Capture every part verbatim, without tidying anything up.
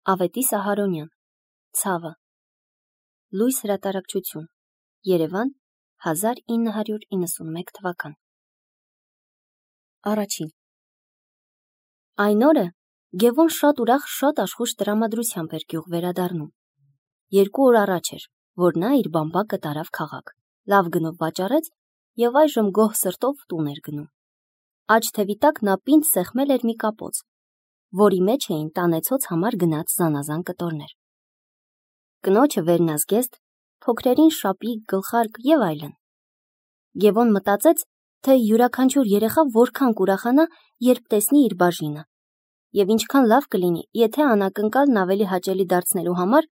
Ավետիս Ահարոնյան, Ցավը, Լույս հրատարակչություն, Երևան, հազար ինը հարյուր իննսունմեկ թվական։ Առաջին։ Այն օրը Գևոն շատ ուրախ, շատ աշխույժ տրամադրությամբ էր գյուղ վերադառնում։ Երկու օր առաջ էր, որ նա իր բամբակը տարավ քաղաք, լավ գնով վաճառեց եւ այժմ գոհ սրտով տուն էր գնում։ Աջ թևի տակ նա պինդ սեղմել էր մի կապոց, որի մեջ էին տանեցոց համար գնած զանազան կտորներ։ Կնոջը վերնազգեստ, փոքրերին շապիկ, գլխարկ եւ այլն։ Գևոն մտածեց, թե յուրաքանչյուր երեխա որքան կուրախանա, երբ տեսնի իր բաժինը, եւ ինչքան լավ կլինի, եթե անակնկալն ավելի հաճելի դարձնելու համար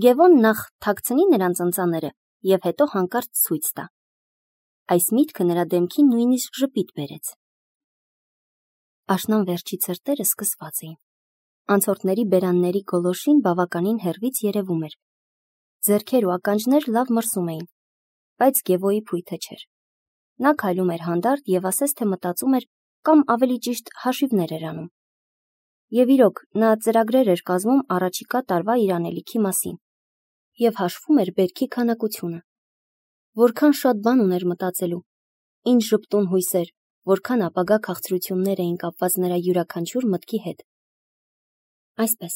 Գևոն նախ թաքցնի նրանց ընծաները եւ հետո հանկարծ ցույց տա։ Այս միտքը նրա դեմքին նույնիսկ ժպիտ բերեց։ Աշնան վերջի ցրտերը սկսված էին։ Անցորդների բերանների գոլորշին բավականին հեռվից երևում էր։ Ձեռքեր ու ականջներ լավ մրսում էին, բայց Գևոյի փույթը չէր։ Նա քայլում էր հանդարտ եւ ասես թե մտածում էր կամ ավելի ճիշտ հաշիվներ էր անում։ Եվ իրոք, նա ծրագրեր էր կազմում առաջիկա տարվա իր անելիքի մասին եւ հաշվում էր բերքի քանակությունը։ Որքան շատ բան ուներ մտածելու, ինչ ժպտուն հույսեր, որքան ապագա քաղցրություններ էին կապված նրա յուրաքանչյուր մտքի հետ։ Այսպես,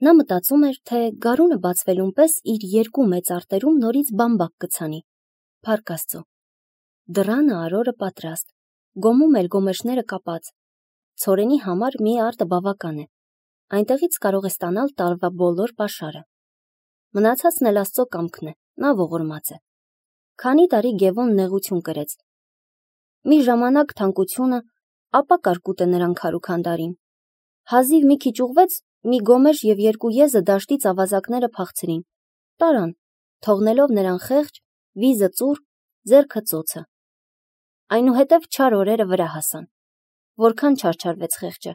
նա մտածում էր, թե գարունը բացվելուն պես իր երկու մեծ արտերում նորից բամբակ կցանի։ Փառք Աստծո։ Դռանը արորը պատրաստ, գոմում էլ գոմեշները կապած։ Ցորենի համար մի արտը բավական է։ Այնտեղից կարող է ստանալ տարվա բոլոր պաշարը։ Մնացածն էլ Աստծո կամքն է, նա ողորմած է։ Քանի տարի Գևոն նեղություն կրեց։ Մի ժամանակ թանկությունը, ապա կարկուտը նրան քարուքանդարին։ Հազիվ մի քիչ ուղվեց, մի գոմեշ եւ երկու եզը դաշտից ավազակները փախցրին, տարան, թողնելով նրան խեղճ, վիզը ծուռ, ձեռքը ծոցը։ Այնուհետև չար օրերը վրա հասան։ Որքան չարչարվեց խեղճը,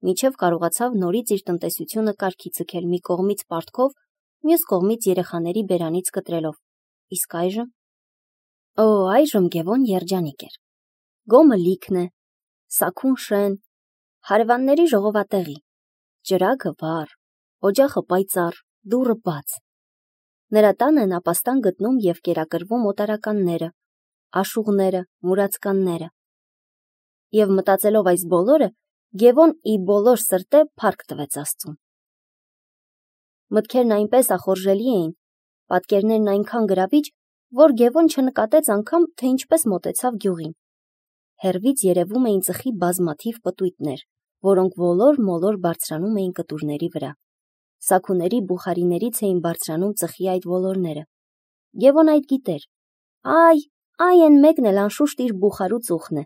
մինչև կարողացավ նորից իր տնտեսությունը կարգի ձգել մի կողմից պարտքով, մյուս կողմից երեխաների բերանից կտրելով։ Իսկ այժմ… Օ, այժմ Գևոն երջանիկ էր։ Գոմը լիքն է, սաքուն շեն, հարևանների ժողովատեղի, ճրագը վառ, օջախը պայծառ, դուռը բաց։ Նրա տանը են ապաստան գտնում եւ կերակրվում օտարականները, աշուղները, մուրացկանները։ Եվ մտածելով այս բոլորը, Գևոն ի բոլոր սրտե փառք տվեց Աստծուն։ Մտքերն այնպես ախորժելի էին, պատկերներն այնքան գրավիչ, որ Գևոն չնկատեց անգամ, թե ինչպես մոտեցավ գյուղին։ Հեռվից երևում էին ծխի բազմաթիվ պտույտներ, որոնք ոլոր-մոլոր բարձրանում էին կտուրների վրա։ Սաքուների բուխարիներից էին բարձրանում ծխի այդ ոլորները։ Գևոն այդ գիտեր։ Այ, այ են մեկն էլ անշուշտ իր բուխարու ծուխն է,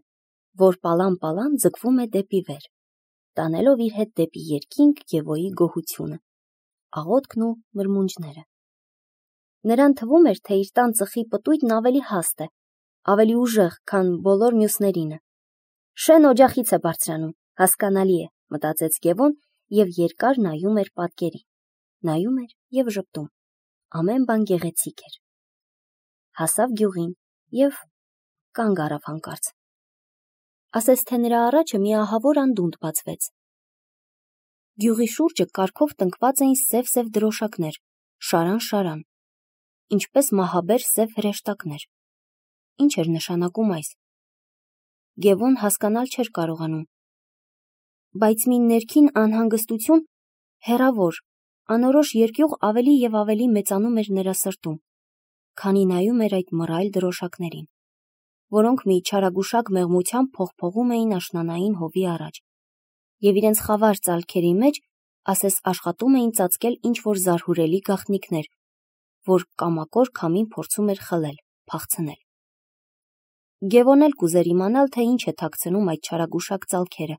որ պալան-պալան ձգվում է դեպի վեր, տանելով իր հետ դեպի երկինք Գևոյի գոհությունը, աղոթքն ու մրմունջները։ Նրան թվում էր, թե իր տան ծխի պտույտն ավելի հաստ է, ավելի ուժեղ, քան բոլոր մյուսներինը։ Շեն օջախից է բարձրանում, հասկանալի է, մտածեց Գևոն եւ երկար նայում էր պատկերին, նայում էր եւ ժպտում։ Ամեն բան գեղեցիկ էր։ Հասավ գյուղին եւ կանգ առավ հանկարծ։ Ասես թե նրա առաջը մի ահավոր անդունդ բացվեց։ Գյուղի շուրջը կարգով տնկված էին սև-սև դրոշակներ, շարան-շարան, ինչպես մահաբեր սև հրեշտակներ։ Ինչ էր նշանակում այս։ Գևոն հասկանալ չէր կարողանում։ Բայց մի ներքին անհանգստություն, հեռավոր, անորոշ երկյուղ ավելի եւ ավելի մեծանում էր նրա սրտում, քանի նայում էր այդ մռայլ դրոշակներին, որոնք մի չարագուշակ մեղմությամբ փողփողում էին աշնանային հովի առաջ, եւ իրենց խավար ծալքերի մեջ ասես աշխատում էին ծածկել ինչ-որ զարհուրելի գաղտնիքներ, որ կամակոր քամին փորձում էր խլել, փախցնել։ Գևոն էլ կուզեր իմանալ, թե ինչ է թաքցնում այդ չարագուշակ ծալքերը,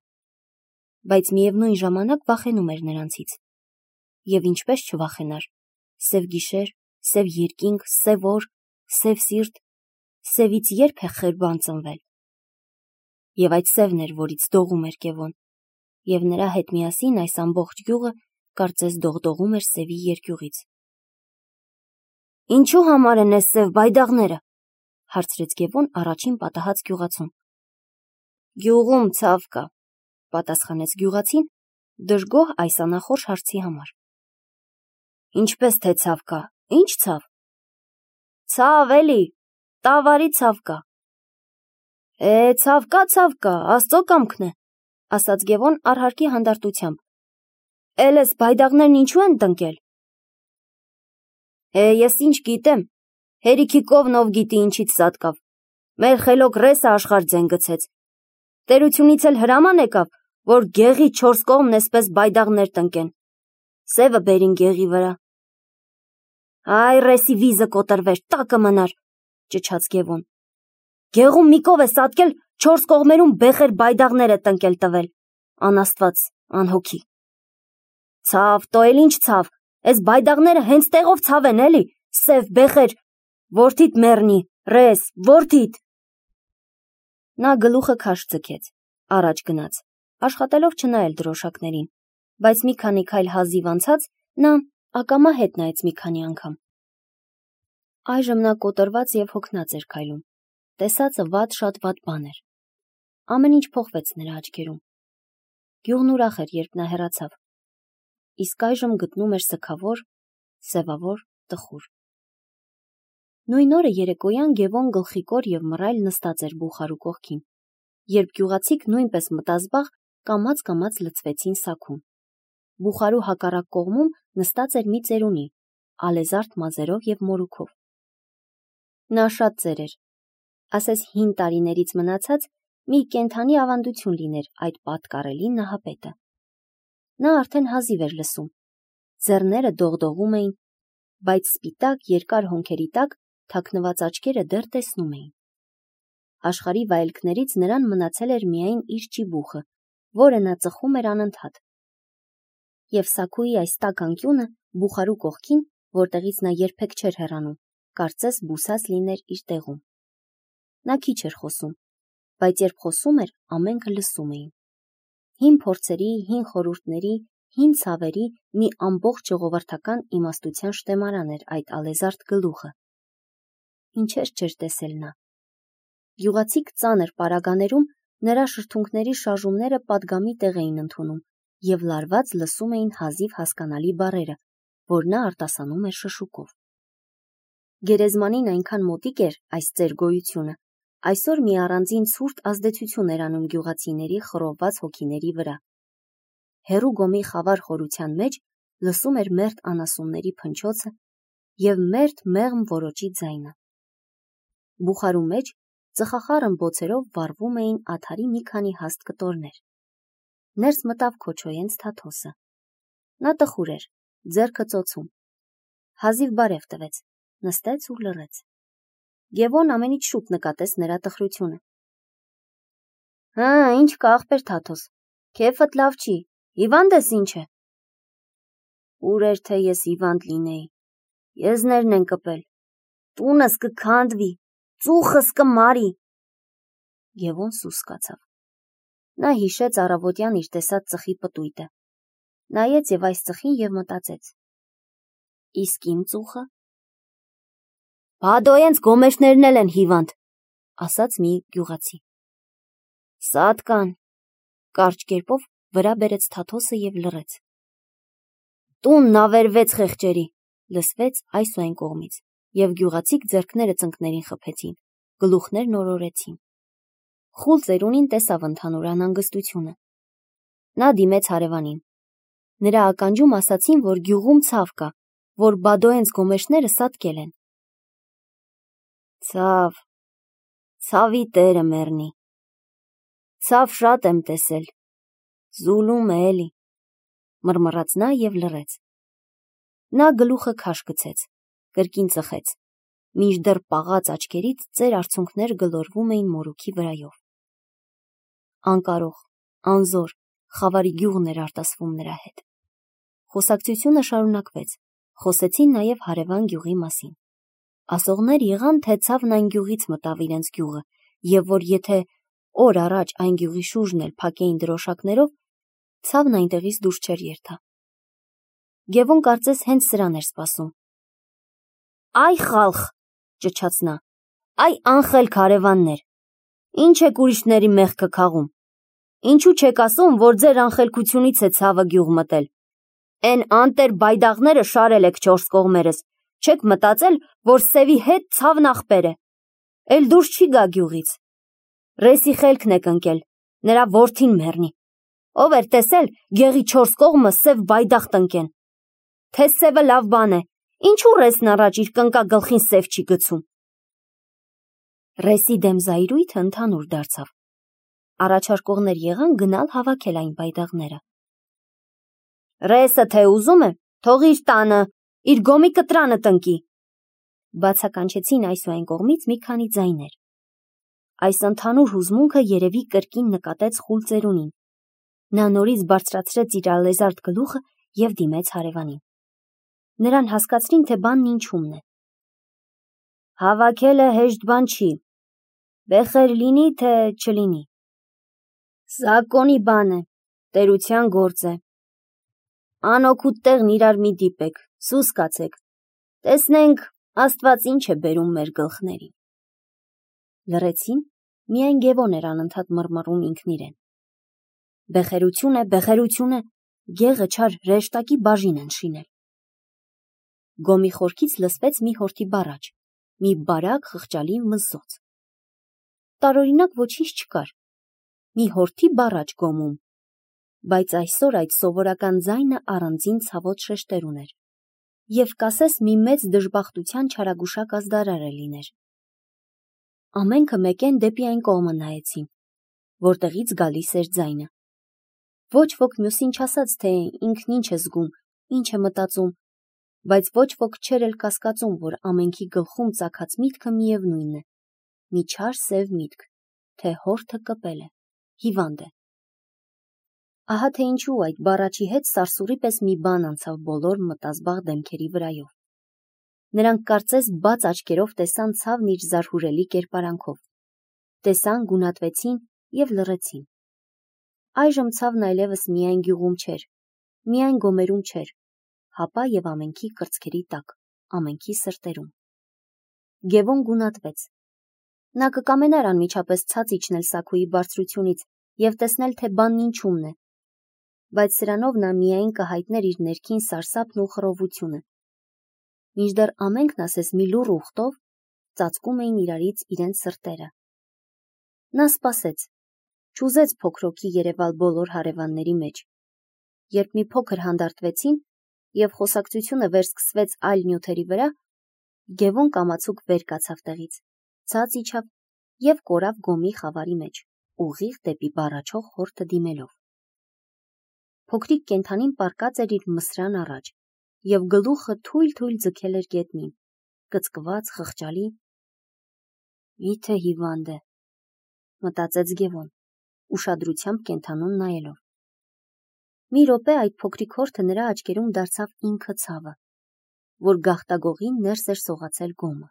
բայց միևնույն ժամանակ վախենում էր նրանցից։ Եվ ինչպես չվախենար, սև գիշեր, սև երկինք, սև օր, սև սիրտ, սևից երբ է խեր բան ծնվել։ Եվ այդ սևն էր, որից դողում էր Գևոն, եւ նրա հետ միասին այս ամբողջ գյուղը կարծես դողդողում էր սևի երկյուղից։ Ինչու համար են այս սև բայդաղները, հարցրեց Գևոն առաջին պատահած գյուղացուն։ Գյուղում ցավ կա, պատասխանեց գյուղացին, դժգոհ այս անախորժ հարցի համար։ Ինչպես թե ցավ կա, ինչ ցավ։ Ցավ էլի, տավարի ցավ կա։ Է, ցավ կա, ցավ կա, Աստծո կամքն է, ասաց Գևոն առհարկի հանդարտությամբ։ Էլ էս բայդաղներն ինչու են տնկել։ Է, ես ինչ գիտեմ, հերիքի կովնով գիտի ինչից սատկավ։ Մեր խելոք ռեսը աշխարհ ձեն գցեց։ Տերությունից էլ հրաման եկավ, որ գեղի չորս կողմն էսպես բայդաղներ տնկեն։ Սևը բերին գեղի վրա։ Այ ռեսի վիզը կոտրվեր, տակը մնար, ճչաց Գևոն։ Գեղում մի կով է սատկել, չորս կողմերում բեխեր բայդաղներ է տնկել տվել։ Անաստված, անհոգի։ Ցավ, տո էլ ինչ ցավ, էս բայդաղները հենց տեղով ցավ են էլի, սև բեխեր, որդիդ մեռնի, ռես, որդիդ։ Նա գլուխը քաշ ձգեց, առաջ գնաց, աշխատելով չնայել դրոշակներին, բայց մի քանի քայլ հազիվ անցած նա ակամա հետ նայեց մի քանի անգամ։ Այժմ նա կոտրված և հոգնած էր քայլում, տեսածը վատ շատ վատ բան էր։ Ամեն ինչ փոխվեց նրա աչքերում։ Գյուղն ուրախ էր, երբ նա հեռացավ, իսկ այժմ գտնում էր սգավոր, սևավոր տխուր։ Նույն օրը երեկոյան Գևոն գլխիկոր և մռայլ նստած էր բուխարու կողքին, երբ գյուղացիք նույնպես մտազբաղ կամաց-կամաց լցվեցին սաքուն։ Բուխարու հակառակ կողմում նստած էր մի ծերունի, ալեզարդ մազերով և մորուքով։ Նա շատ ծեր էր, ասես հին տարիներից մնացած մի կենդանի ավանդություն լիներ այդ պատկառելի նահապետը։ Նա արդեն հազիվ էր լսում, ձեռները դողդողում էին, բայց սպիտակ երկար հոնքերի տակ թաքնված աչքերը դեռ տեսնում էին։ Աշխարհի վայելքներից նրան մնացել էր միայն իր ճիբուխը, որը նա ծխում էր անընդհատ։ Եվ սաքուի այս տաք անկյունը բուխարու կողքին, որտեղից նա երբեք չէր հեռանում, կարծես բուսած լիներ իր տեղում։ Նա քիչ էր խոսում, բայց երբ խոսում էր, ամենքը լսում էին։ Հին փորձերի, հին խորհուրդների, հին ցավերի մի ամբողջ ժողովրդական իմաստության շտեմարան էր այդ ալեզարդ գլուխը։ Ինչեր չէր տեսել նա։ Գյուղացիք ծանր պարագաներում նրա շրթունքների շարժումները պատգամի տեղ էին ընդունում և լարված լսում էին հազիվ հասկանալի բառերը, որ նա արտասանում էր շշուկով։ Գերեզմանին այնքան մոտիկ էր այս ծեր գոյությունը, այսօր մի առանձին ցուրտ ազդեցություն էր անում գյուղացիների խռովված հոգիների վրա։ Հեռու գոմի խավար խորության մեջ լսում էր մերթ անասունների փնչոցը և մերթ մեղմ որոճի ձայնը։ Բուխարու մեջ ծխախառն բոցերով վառվում էին ադարի մի քանի հաստ կտորներ։ Ներս մտավ Քոչոյենց Թաթոսը։ Նա տխուր էր, ձեռքը ծոցում։ Հազիվ բարև տվեց, նստեց ու լռեց։ Գևոն ամենից շուտ նկատեց նրա տխրությունը։ Հա, ինչ կա ախպեր Թաթոս, քեֆդ լավ չի, հիվանդ ես ինչ է։ Ուր էր թե ես հիվանդ լինեի, եզներն են կպել, տունս կքանդվի, ծուխս կմարի։ Գևոն սուս կացավ։ Նա հիշեց առավոտյան իր տեսած ծխի պտույտը, նայեց և այս ծխին և մտածեց. իսկ իմ ծուխը։ Բադոյենց գոմեշներն էլ են հիվանդ, ասաց մի գյուղացի։ Սատ կան, կարճ կերպով վրա բերեց Թաթոսը և լռեց։ Տունն ավերվեց խեղճերի, լսվեց այս ու այն կողմից, և գյուղացիք ձեռքները ծնկներին խփեցին, գլուխներն օրորեցին։ Խուլ ծերունին տեսավ ընդհանուր անհանգստությունը։ Նա դիմեց հարևանին։ Նրա ականջում ասացին, որ գյուղում ցավ կա, որ Բադոյենց գոմեշները սատկել են։ Ցավ, ցավի տերը մեռնի։ Ցավ շատ եմ տեսել, զուլում է էլի, մռմռաց նա և լռեց։ Նա գլուխը քաշ գցեց, կրկին ծխեց, մինչդեռ պաղած աչքերից ծեր արցունքներ գլորվում էին մորուքի վրայով։ Անկարող, անզոր, խավարի գյուղն էր արտասվում նրա հետ։ Խոսակցությունը շարունակվեց, խոսեցին նաև հարևան գյուղի մասին։ Ասողներ եղան, թե ցավն այն գյուղից մտավ իրենց գյուղը, և որ եթե օր առաջ այն գյուղի շուրջն էլ փակեին դրոշակներով, ցավն այնտեղից դուրս չէր երթա։ Գևոն կարծես հենց սրան էր սպասում։ Այ խալխ, ճչաց նա, այ անխելք հարևաններ, ինչ եք ուրիշների մեղքը քաղում, ինչու չեք ասում, որ ձեր անխելքությունից է ցավը գյուղ մտել, Էն անտեր բայդաղները շարել եք չորս կողմերս, չեք մտածել, որ սևի հետ ցավն ախպեր է, էլ դուրս չի գա գյուղից, ռեսի խելքն եք ընկել, նրա որդին մեռնի, ով էր տեսել գեղի չորս կողմը սև բայդաղ տնկեն, թե սևը լավ բան է, ինչու ռեսն առաջ իր կնկա գլխին սև չի գցում։ Ռեսի դեմ զայրույթը ընդհանուր դարձավ, առաջարկողներ եղան գնալ հավաքել այն բայդաղները։ Ռեսը թե ուզում է, թող իր տանը, իր գոմի կտրանը տնկի, բացականչեցին այս ու այն կողմից մի քանի ձայներ։ Այս ընդհանուր հուզմունքը երևի կրկին նկատեց խուլ ծերունին։ Նա նորից բարձրացրեց իր ալեզարդ գլուխը և դիմեց հարևանին։ Նրան հասկացրին, թե բանն ինչումն է։ Հավաքելը հեշտ բան չի, բեխեր լինի, թե չլինի։ Զակոնի բան է, տերության գործ է։ Անօգուտ տեղն իրար մի դիպեք, սուս կացեք, տեսնենք Աստված ինչ է բերում մեր գլխներին։ Լռեցին, միայն Գևոն էր անընդհատ մռմռում ինքն իրեն։ Բեխերություն է, բեխերություն է, գեղը չար հրեշտակի բաժին են շինել։ Գոմի խորքից լսվեց մի հորթի բառաջ, մի բարակ խղճալի մզզոց։ Տարօրինակ ոչինչ չկար, մի հորթի բառաջ գոմում, բայց այսօր այդ սովորական ձայնը առանձին ցավոտ շեշտեր ուներ, և կասես մի մեծ դժբախտության չարագուշակ ազդարար է լիներ։ Ամենքը մեկեն դեպի այն կողմը նայեցին, որտեղից գալիս էր ձայնը։ Ոչ ոք մյուսին չասաց, թե ինքն ինչ է զգում, ինչ է մտածում, բայց ոչ ոք չէր էլ կասկածում, որ ամենքի գլխում ծագած միտքը միևնույնն է, մի չար սև միտք, թե հորթը կպել է, հիվանդ է։ Ահա թե ինչու այդ բառաչի հետ սարսուռի պես մի բան անցավ բոլոր մտազբաղ դեմքերի վրայով։ Նրանք կարծես բաց աչքերով տեսան ցավն իր զարհուրելի կերպարանքով, տեսան, գունատվեցին և լռեցին։ Այժմ ցավն այլևս միայն գյուղում չէր, միայն գոմերում չէր, հապա և ամենքի կրծքերի տակ, ամենքի սրտերում։ Գևոն գունատվեց։ Նա կկամենար անմիջապես ցած իջնել Սաքոյի բարձրությունից և տեսնել, թե բանն ինչումն է, բայց սրանով նա միայն կհայտներ իր ներքին սարսափն ու խռովությունը, մինչդեռ ամենքն ասես մի լուռ ուխտով ծածկում էին իրարից իրենց սրտերը։ Նա սպասեց, չուզեց փոքրոքի երևալ բոլոր հարևանների մեջ, երբ մի փոքր հանդարտվեցին և խոսակցությունը վերսկսվեց այլ նյութերի վրա, Գևոն կամացուկ վեր կացավ տեղից, ցած իջավ և կորավ գոմի խավարի մեջ, ուղիղ դեպի բառաչող հորթը դիմելով։ Փոքրիկ կենդանին պառկած էր իր մսրան առաջ և գլուխը թույլ-թույլ ձգել էր գետնին, կծկված, խղճալի։ Միթե հիվանդ է, մտածեց Գևոն, ուշադրությամբ կենդանուն նայելով։ Մի րոպե այդ փոքրիկ հորթը նրա աչքերում դարձավ ինքը ցավը, որ գաղտագողին ներս էր սողացել գոմը։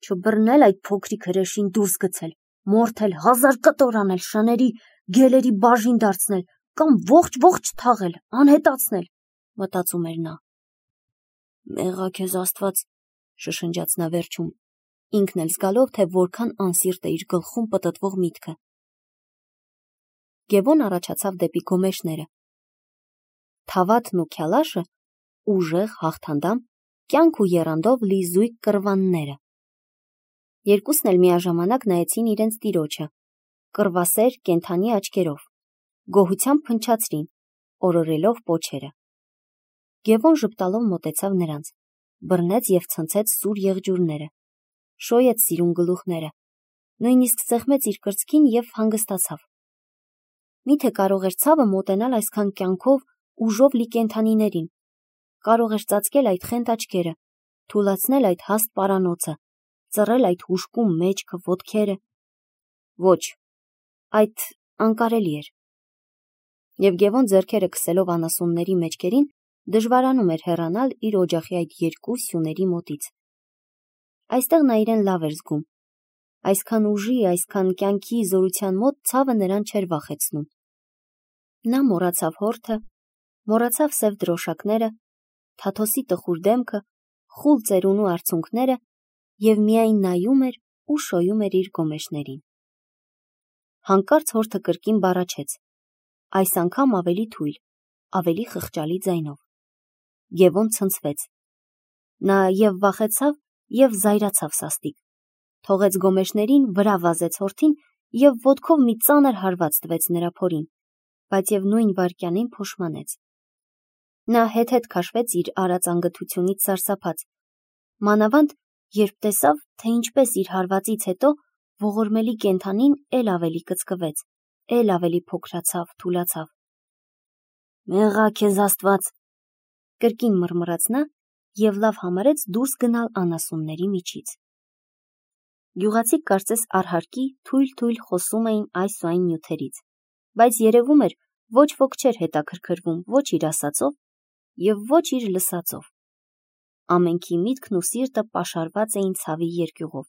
Չբռնել այդ փոքրիկ հրեշին դուրս գցել, մորթել, հազար կտոր անել, շների, գելերի բաժին դարձնել կամ ողջ-ողջ թաղել, անհետացնել, մտածում էր նա։ Մեղա քեզ Աստված, շշնջաց նա վերջում, ինքն էլ զգալով, թե որքան անսիրտ է իր գլխում պտտվող միտքը։ Գևոն առաջացավ դեպի գոմեշները։ Թավաթն ու քյալաշը, ուժեղ, հաղթանդամ, կյանք ու եռանդով լի զույգ կռվանները։ Երկուսն էլ միաժամանակ նայեցին իրենց տիրոջը, կռվասեր կենդանի աչքերով, գոհությամբ փնչացրին, օրորելով պոչերը։ Գևոն ժպտալով մոտեցավ նրանց, բռնեց և ցնցեց սուր եղջյուրները, շոյեց սիրուն գլուխները, նույնիսկ սեղմեց իր կրծքին և հանգստացավ։ Միթե կարող էր ցավը մոտենալ այսքան կյանքով, ուժով լի կենդանիներին, կարող էր ծածկել այդ խենթ աչքերը, թուլացնել այդ հաստ պարանոցը, ծռել այդ հուժկում մեջքը, ոտքերը։ Ոչ, այդ անկարելի էր։ Եվ Գևոն ձեռքերը քսելով անասունների մեջքերին, դժվարանում էր հեռանալ իր օջախի այդ երկու սյուների մոտից։ Այստեղ նա իրեն լավ էր զգում։ Այսքան ուժի, այսքան կյանքի զորության մոտ ցավը նրան չէր վախեցնում։ Նա մոռացավ հորթը, մոռացավ սև դրոշակները, Թաթոսի տխուր դեմքը, խուլ ծերունու արցունքները և միայն նայում էր ու շոյում էր իր գոմեշներին։ Հանկարծ հորթը կրկին բառաչեց, այս անգամ ավելի թույլ, ավելի խղճալի ձայնով։ Գևոն ցնցվեց։ Նա և վախեցավ, և զայրացավ սաստիկ, թողեց գոմեշներին, վրա վազեց հորթին և ոտքով մի ծանր հարված տվեց նրա փորին, բայց և նույն վայրկյանին փոշմանեց։ Նա հետ-հետ քաշվեց իր արած անգթությունից սարսափած, մանավանդ երբ տեսավ, թե ինչպես իր հարվածից հետո ողորմելի կենդանին էլ ավելի կծկվեց, էլ ավելի փոքրացավ, թուլացավ։ «Մեղա քեզ Աստված», կրկին մռմռաց նա և լավ համարեց դուրս գնալ անասունների միջից։ Գյուղացիք կարծես առհարկի թույլ-թույլ խոսում էին այս ու այն նյութերից, բայց երևում էր, ոչ ոք չէր հետաքրքրվում ոչ իր ասածով և ոչ իր լսածով։ Ամենքի միտքն ու սիրտը պաշարված էին ցավի երկյուղով,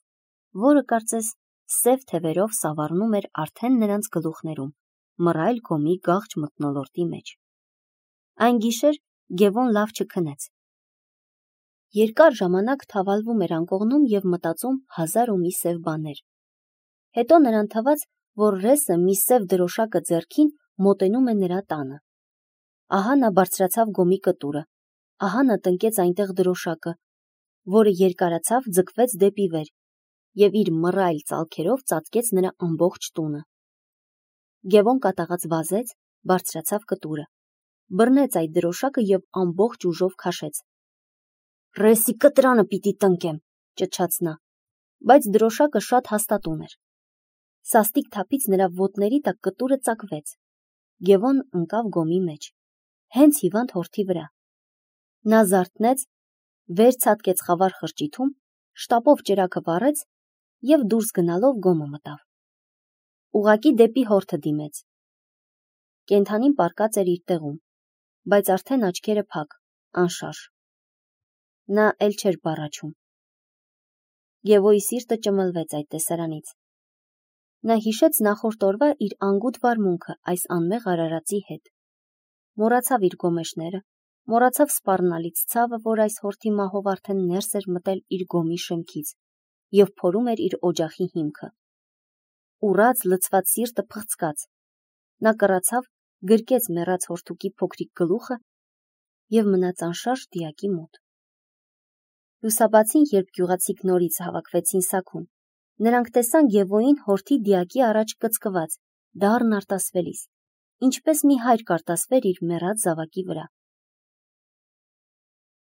որը կարծես սև թևերով սավառնում էր արդեն նրանց գլուխներում, մռայլ գոմի գաղջ մթնոլորտի մեջ։ Այն գիշեր Գևոն լավ չքնեց։ Երկար ժամանակ թավալվում էր անկողնում և մտածում հազար ու մի սև բաներ։ Հետո նրան թվաց, որ ռեսը մի սև դրոշակը ձեռքին մոտենում է նրա տանը։ Ահա նա բարձրացավ գոմի կտուրը, ահա նա տնկեց այնտեղ դրոշակը, որը երկարացավ, ձգվեց դեպի վեր և իր մռայլ ծալքերով ծածկեց նրա ամբողջ տունը։ Գևոն կատաղած վազեց, բարձրացավ կտուրը, բռնեց այդ դրոշակը և ամբողջ ուժով քաշեց։ «Ռեսի կտրանը պիտի տնկեմ», ճչաց նա, բայց դրոշակը շատ հաստատուն էր։ Սաստիկ թափից նրա ոտների տակ կտուրը ծակվեց։ Գևոն ընկավ գոմի մեջ, հենց հիվանդ հորթի վրա։ Նա զարթնեց, վեր ցատկեց խավար խրճիթում, շտապով ճրագը վառեց և դուրս գնալով գոմը մտավ։ Ուղղակի դեպի հորթը դիմեց։ Կենդանին պառկած էր իր տեղում, բայց արդեն աչքերը փակ, անշարժ։ Նա էլ չէր բառաչում։ Գևոյի սիրտը ճմլվեց այդ տեսարանից։ Նա հիշեց նախորդ օրվա իր անգութ վարմունքը այս անմեղ արարածի հետ։ Մոռացավ իր գոմեշները, մոռացավ սպառնալից ցավը, որ այս հորթի մահով արդեն ներս էր մտել իր գոմի շեմքից և փորում էր իր օջախի հիմքը։ Ուռած, լցված սիրտը փղծկաց։ Նա կռացավ, գրկեց մեռած հորթուկի փոքրիկ գլուխը և մնաց անշարժ դիակի մոտ։ Լուսաբացին, երբ գյուղացիք նորից հավաքվեցին սաքուն, նրանք տեսան Գևոյին հորթի դիակի առաջ կծկված, դառն արտասվելիս, ինչպես մի հայր կարտասվեր իր մեռած զավակի վրա։